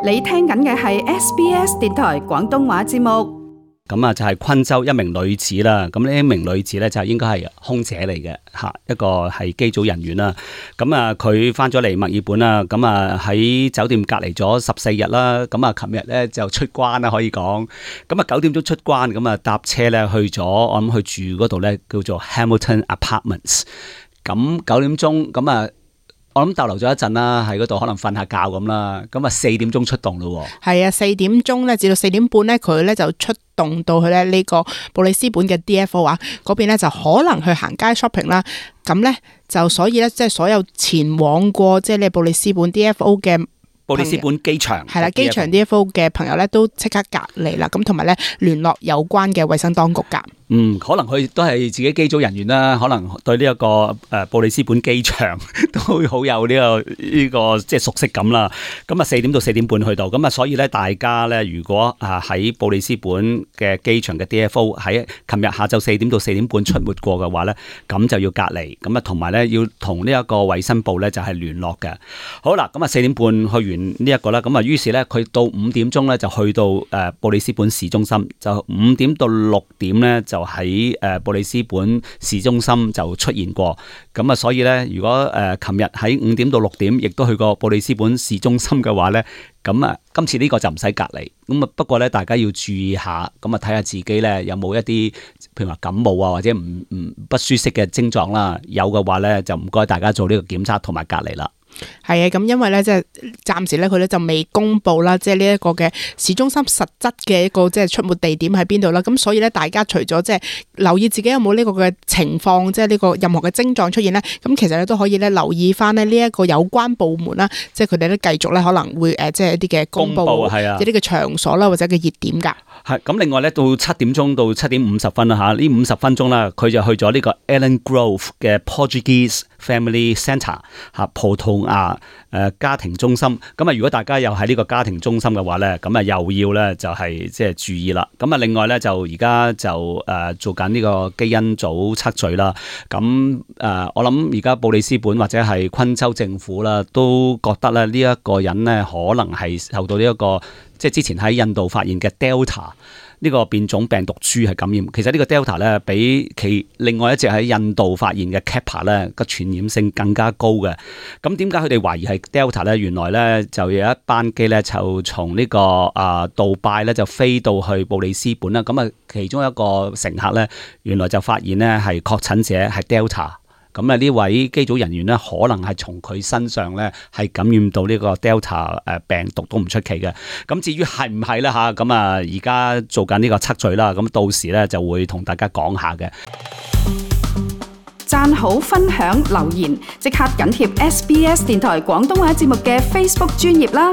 你聽緊嘅係 SBS 電台廣東話節目。咁啊，就係昆州一名女子啦。咁呢一名女子咧就應該係空姐嚟嘅嚇，一個係機組人員啦。咁啊，佢翻咗嚟墨爾本啦。咁啊喺酒店隔離咗14日啦。咁啊，琴日咧就出關啦，可以講。咁啊9點鐘出關，咁啊搭車咧去咗，我諗去住嗰度咧叫做 Hamilton Apartments。咁9點鐘咁啊。我諗逗留咗一陣啦，喺嗰度可能瞓下覺咁啦，咁啊4點鐘出動咯。係啊，4點鐘咧至到4點半咧，佢咧就出動到去咧呢個布里斯本嘅 DFO 啊，嗰邊咧就可能去行街 shopping 啦。咁咧就所以咧，即係所有前往過即係呢布里斯本 DFO 嘅布里斯本機場係啦，機場 DFO 嘅朋友咧都即刻隔離啦，咁同埋咧聯絡有關嘅衛生當局㗎。可能佢都係自己機組人員啦，可能對呢一個布里斯本機場都好有呢個即係熟悉感啦。咁啊4點到4點半去到，咁啊所以咧大家咧如果喺布里斯本嘅機場嘅 DFO 喺琴日下晝4點到4點半出沒過嘅話咧，咁就要隔離，咁啊同埋咧要同呢一個衛生部咧就係聯絡嘅。好啦，咁啊4點半去完呢一個啦，咁啊於是咧佢到5點鐘咧就去到布里斯本市中心，就5點到6點咧就喺布里斯本市中心就出現過，咁啊所以咧如果琴日喺5點到6點亦都去過布里斯本市中心嘅話咧，咁啊今次呢個就唔使隔離，咁啊不過咧大家要注意下，咁啊睇下自己咧有冇一啲譬如話感冒啊或者不舒適嘅症狀啦，有嘅話咧就唔該大家做呢個檢測同埋隔離啦。係啊，咁因為咧即係暫時咧佢咧就未公布啦，即係呢一個嘅市中心實質嘅一個即係出沒地點喺邊度啦。咁所以咧大家除咗即係留意自己有冇呢個嘅情況，即係呢個任何嘅症狀出現咧，咁其實咧都可以咧留意翻咧呢一個有關部門啦，即係佢哋都繼續咧可能會即係一啲嘅公布係啊，一啲嘅場所啦或者嘅熱點㗎。係咁，另外咧到7點鐘到7點50分啦嚇，呢50分鐘啦，佢就去咗呢個 Ellen Grove 嘅 Portuguese Family Centre 嚇葡萄牙家庭中心。咁啊，如果大家又喺呢個家庭中心嘅話咧，咁啊又要咧就係即係注意啦。咁啊，另外咧就而家就做緊呢個基因組測序啦。咁我諗而家布里斯本或者係昆州政府啦，都覺得咧呢一個人咧可能係受到呢一個即係之前喺印度發現嘅 Delta 呢個變種病毒株係感染。其實呢個 Delta 咧比其另外一隻喺印度發現嘅 Kappa 咧個傳染性更加高嘅。咁點解佢哋懷疑係 Delta 咧？原來咧就有一班機咧就從呢個杜拜咧就飛到去布里斯本啦。咁啊其中一個乘客咧原來就發現咧係確診者係 Delta。咁啊呢位機組人員咧，可能係從佢身上咧係感染到呢個 Delta 病毒都唔出奇嘅。咁至於係唔係咧嚇，咁啊而家做緊呢個測序啦，咁到時咧就會同大家講下嘅。讚好、分享、留言，即刻緊貼SBS 電台廣東話節目嘅 Facebook 專頁啦！